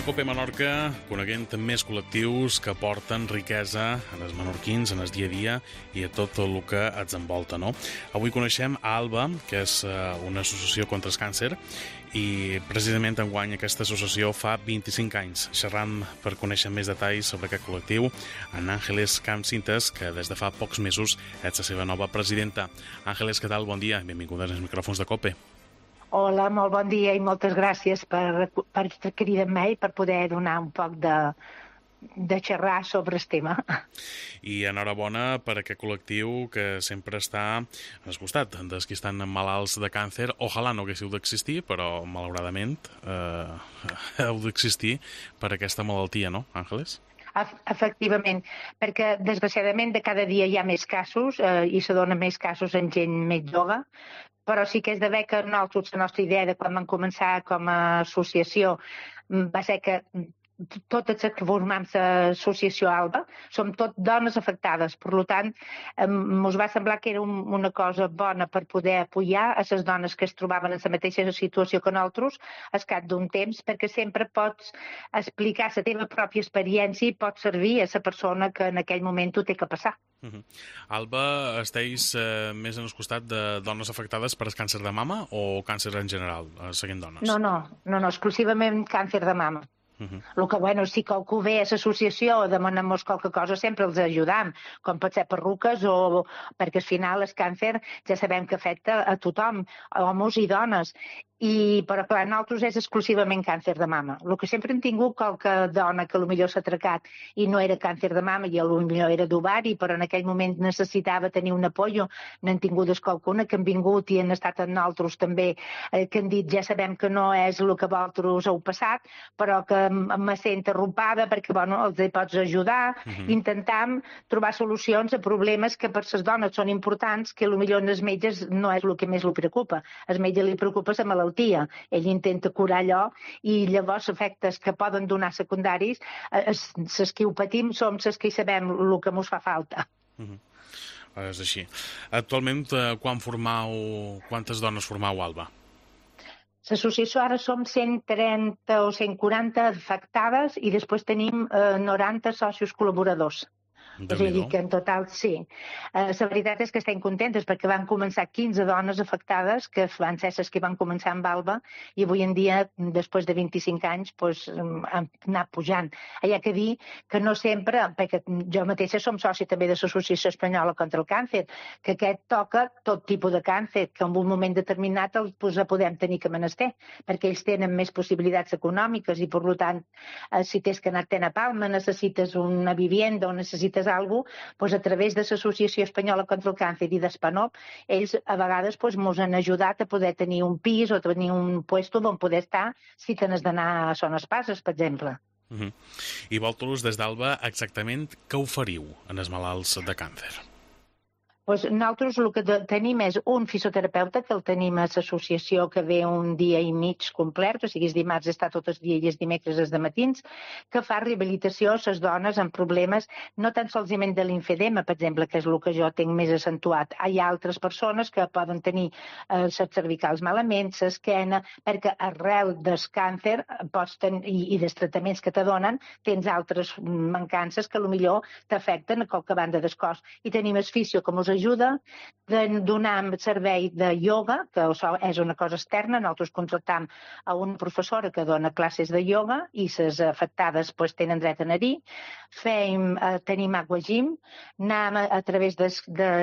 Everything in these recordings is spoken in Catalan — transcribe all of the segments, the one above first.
COPE Menorca, coneguent més col·lectius que porten riquesa en els menorquins, en el dia a dia i a tot el que ens envolta, no? Avui coneixem ALBA, que és una associació contra el càncer, i precisament enguany aquesta associació fa 25 anys. Xerram per conèixer més detalls sobre aquest col·lectiu en Àngeles Campsintes, que des de fa pocs mesos és la seva nova presidenta. Àngeles, què tal? Bon dia. Benvinguda als micròfons de COPE. Hola, molt bon dia i moltes gràcies per cridar-me i per poder donar un poc de xerrar sobre el tema. I enhorabona per aquest col·lectiu que sempre està al costat dels que estan malalts de càncer. Ojalà no haguéssiu d'existir, però malauradament heu d'existir per aquesta malaltia, no, Àngeles? Efectivament, perquè desgraciadament de cada dia hi ha més casos i se donen més casos en gent més jove, però sí que és de bé que nosaltres, la nostra idea de quan vam començar com a associació va ser que totes les que formam l'associació ALBA som tot dones afectades. Per tant, ens va semblar que era una cosa bona per poder apoyar a les dones que es trobaven en la mateixa situació que nosaltres al cap d'un temps, perquè sempre pots explicar la teva pròpia experiència i pot servir a la persona que en aquell moment ho té que passar. ALBA, esteu més en el costat de dones afectades per el càncer de mama o càncer en general, seguint dones? No, exclusivament càncer de mama. El que, sí que algú ve a l'associació demanem-nos qualque cosa, sempre els ajudam, com pot ser perruques o perquè al final el càncer ja sabem que afecta a tothom, homes i dones. Però clar, nosaltres és exclusivament càncer de mama. El que sempre hem tingut qualque dona que potser s'ha atracat i no era càncer de mama i potser era d'ovari, però en aquell moment necessitava tenir un apoyo. N'han tingut qualcuna que han vingut i han estat amb nosaltres també, que han dit ja sabem que no és el que vosaltres heu passat, però que me sent arropada perquè els pots ajudar. Intentam trobar solucions a problemes que per les dones són importants, que potser als metges no és el que més li preocupa. Al metge li preocupa la malaltia. Ell intenta curar allò i llavors efectes que poden donar secundaris, les que ho patim som les que hi sabem el que ens fa falta. És així. Actualment, quantes dones formau ALBA? L'associació ara som 130 o 140 afectades i després tenim 90 socis col·laboradors. És a dir, que en total sí. La veritat és que estem contentes perquè van començar 15 dones afectades, que van ser les que van començar amb ALBA, i avui en dia, després de 25 anys, han anat pujant. Hi ha que dir que no sempre, perquè jo mateixa som soci també de l'Associació Espanyola contra el Càncer, que aquest toca tot tipus de càncer, que en un moment determinat el podem tenir que menester, perquè ells tenen més possibilitats econòmiques i, per tant, si tens que anar-te'n a Palma, necessites una vivienda o necessites alguna cosa, a través de l'Associació Espanyola contra el Càncer i d'Espanop, ells a vegades ens han ajudat a poder tenir un pis o tenir un puesto on poder estar si tens d'anar a Son Espases, per exemple. I vosaltres, des d'ALBA, exactament què oferiu en els malalts de càncer? Nosaltres el que tenim és un fisioterapeuta, que el tenim a l'associació, que ve un dia i mig complet, o sigui, els dimarts està tot el dia i els dimecres els dematins, que fa rehabilitació a les dones amb problemes, no tan solament de l'infedema, per exemple, que és el que jo tinc més accentuat. Hi ha altres persones que poden tenir les cervicals malament, l'esquena, perquè arrel del càncer i dels tractaments que te donen, tens altres mancances que potser t'afecten a qualque banda del cos. I tenim el fisio que ens ajuda, de donar servei de ioga, que és una cosa externa. Nosaltres contractam a una professora que dona classes de ioga i les afectades tenen dret a anar-hi. Tenim aquagym, anem a través de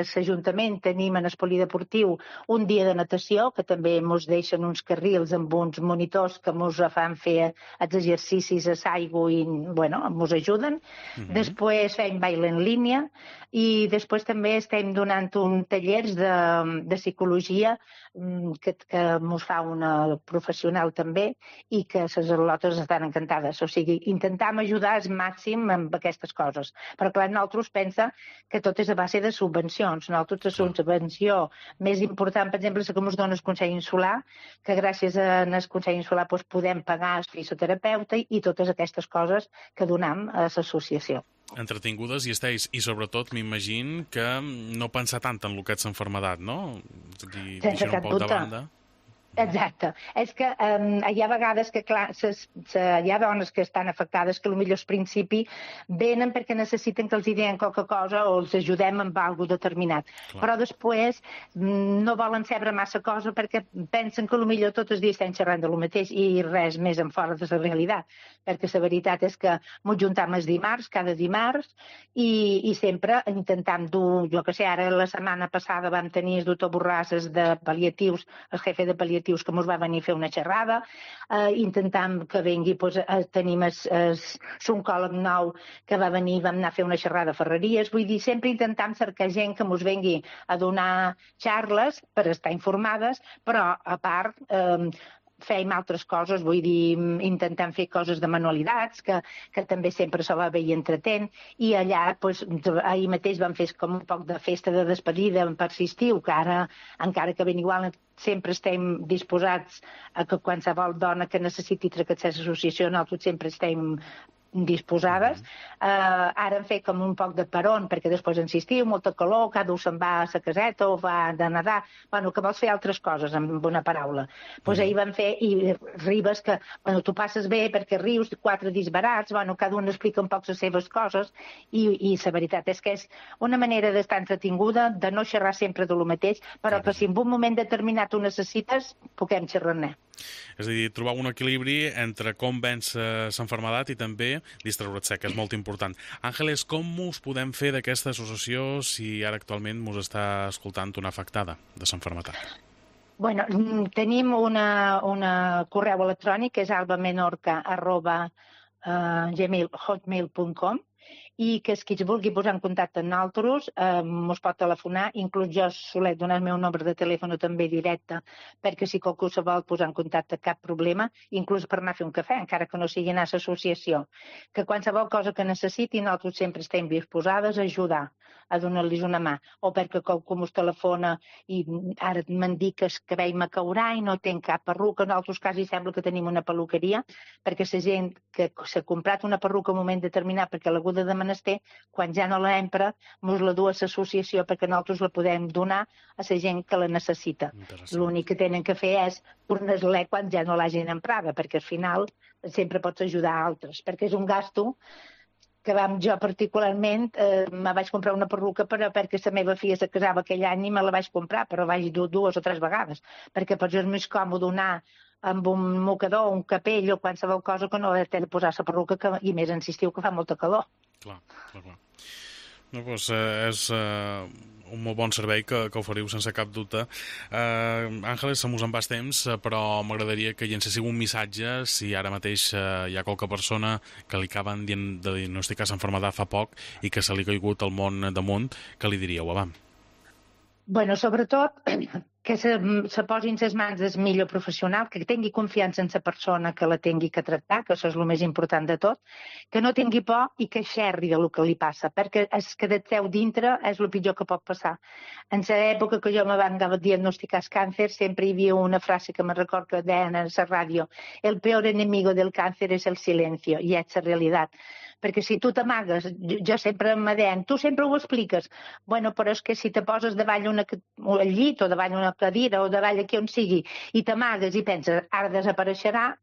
l'Ajuntament, tenim en el polideportiu un dia de natació, que també ens deixen uns carrils amb uns monitors que ens fan fer els exercicis a l'aigua i ens ajuden. Després fem baile en línia i després també estem donant un tallers de psicologia que ens fa una professional també i que les al·lotes estan encantades. O sigui, intentam ajudar al màxim amb aquestes coses. Però clar, nosaltres pensa que tot és a base de subvencions. Nosaltres la subvenció més important, per exemple, és que ens dona el Consell Insular, que gràcies al Consell Insular podem pagar el fisioterapeuta i totes aquestes coses que donam a l'associació. Entretingudes i esteu, i sobretot m'imagino que no pensar tant en el que és l'enfermedat, no? Sense cap dubte. Exacte. És que hi ha vegades que, clar, hi ha dones que estan afectades que potser al principi venen perquè necessiten que els diguem qualque cosa o els ajudem amb alguna determinat. Clar. Però després no volen saber massa cosa perquè pensen que potser tots els dies estem xerrant de lo mateix i res més en fora de la realitat. Perquè la veritat és que ens juntam els dimarts, cada dimarts, i sempre intentam dur, jo que sé, ara la setmana passada vam tenir el doctor Borràs de pal·liatius, el jefe de pal·liatius que ens va venir a fer una xerrada, intentam que vengui, tenim l'oncòleg nou que va venir, vam anar a fer una xerrada a Ferreries, vull dir, sempre intentam cercar gent que ens vengui a donar xarles per estar informades, però a part fèiem altres coses, vull dir, intentant fer coses de manualitats, que també sempre se va bé i entretent, i allà, ahir mateix vam fer com un poc de festa de despedida per l'estiu, que ara, encara que ben igual, sempre estem disposats a que qualsevol dona que necessiti tractar l'associació, nosaltres sempre estem disposades. Ara hem fet com un poc de peron, perquè després insistiu, molta calor, cada un se'n va a la caseta o va de nedar, bueno, que vols fer altres coses, amb una paraula. Doncs ahir vam fer, i ribes que, bueno, tu passes bé perquè rius, 4 disbarats, bueno, cada un explica un poc les seves coses, i la veritat és que és una manera d'estar entretinguda, de no xerrar sempre de lo mateix, però que si en un moment determinat ho necessites, puguem xerrar-ne. És a dir, trobar un equilibri entre com vèncer l'enfermedat i també distreure't-se, que és molt important. Àngeles, com us podem fer d'aquesta associació si ara actualment us està escoltant una afectada de l'enfermedat? Bueno, tenim una correu electrònic que és albamenorca@hotmail.com i que qui es vulgui posar en contacte amb nosaltres ens pot telefonar, inclús jo solet donar el meu nombre de telèfon també directe, perquè si qualcú se vol posar en contacte cap problema, inclús per anar a fer un cafè, encara que no sigui anar a l'associació, que qualsevol cosa que necessiti nosaltres sempre estem disposades a ajudar, a donar-los una mà, o perquè qualcú ens telefona i ara me'n dic que el cabell me caurà i no tinc cap perruca, en altres quasi sembla que tenim una perruqueria, perquè la gent que s'ha comprat una perruca en un moment determinat perquè l'aguda de menester, quan ja no l'empra, ens la du a l'associació perquè nosaltres la podem donar a la gent que la necessita. L'únic que tenen que fer és tornar-la quan ja no l'hagin emprada, perquè al final sempre pots ajudar a altres, perquè és un gasto que jo particularment me vaig comprar una perruca perquè la meva filla se casava aquell any i me la vaig comprar, però vaig dur 2 o 3 vegades, perquè potser és més còmode anar amb un mocador, un capell o qualsevol cosa que no haver de posar la perruca i més en l'estiu que fa molta calor. Clar. No, doncs és un molt bon servei que oferiu sense cap dubte. Àngeles, se mos en va temps, però m'agradaria que llencéssiu un missatge si ara mateix hi ha qualque persona que li acaben de diagnosticar l'enfermedat fa poc i que se li ha caigut el món damunt, què li diríeu, abans? Bueno, sobretot que se posin les mans del millor professional, que tingui confiança en la persona que la tingui que tractar, que això és el més important de tot, que no tingui por i que xerri del que li passa, perquè el que et treu dintre és el pitjor que pot passar. En l'època que jo me van diagnosticar el càncer, sempre hi havia una frase que me recordo que deien a la ràdio: el peor enemigo del càncer és el silencio, i és la realitat. Perquè si tu t'amagues, jo sempre me deien, tu sempre ho expliques, bueno, però és que si te poses davall al llit o davall una cadira o davall aquí on sigui i t'amagues i penses, ara desapareixerà,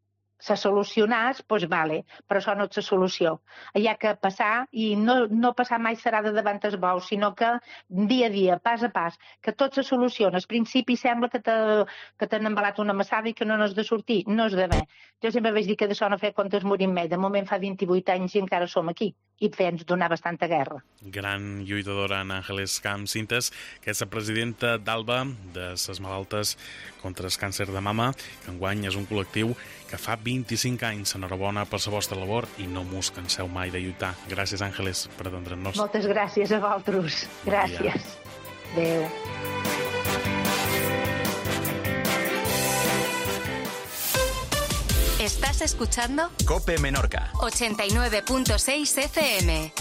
se solucionàs, doncs vale, però això no és la solució. Hi ha que passar, i no passar mai serà de davant el bou, sinó que dia a dia, pas a pas, que tot se soluciona. Al principi sembla que t'han embalat una massada i que no n'has de sortir, no és d'haver. Jo sempre vaig dir que d'això no fer comptes morir mai. De moment fa 28 anys i encara som aquí, i ens donar bastanta guerra. Gran lluitadora Àngeles Camps Cintas, que és la presidenta d'ALBA, de les malaltes contra el càncer de mama, que enguany és un col·lectiu que fa 25 anys. Enhorabona per la vostra labor i no mos canseu mai de lluitar. Gràcies, Àngeles, per atendre'ns. Moltes gràcies a vosaltres. Gràcies. Adéu. ¿Estás escuchando? COPE Menorca 89.6 FM.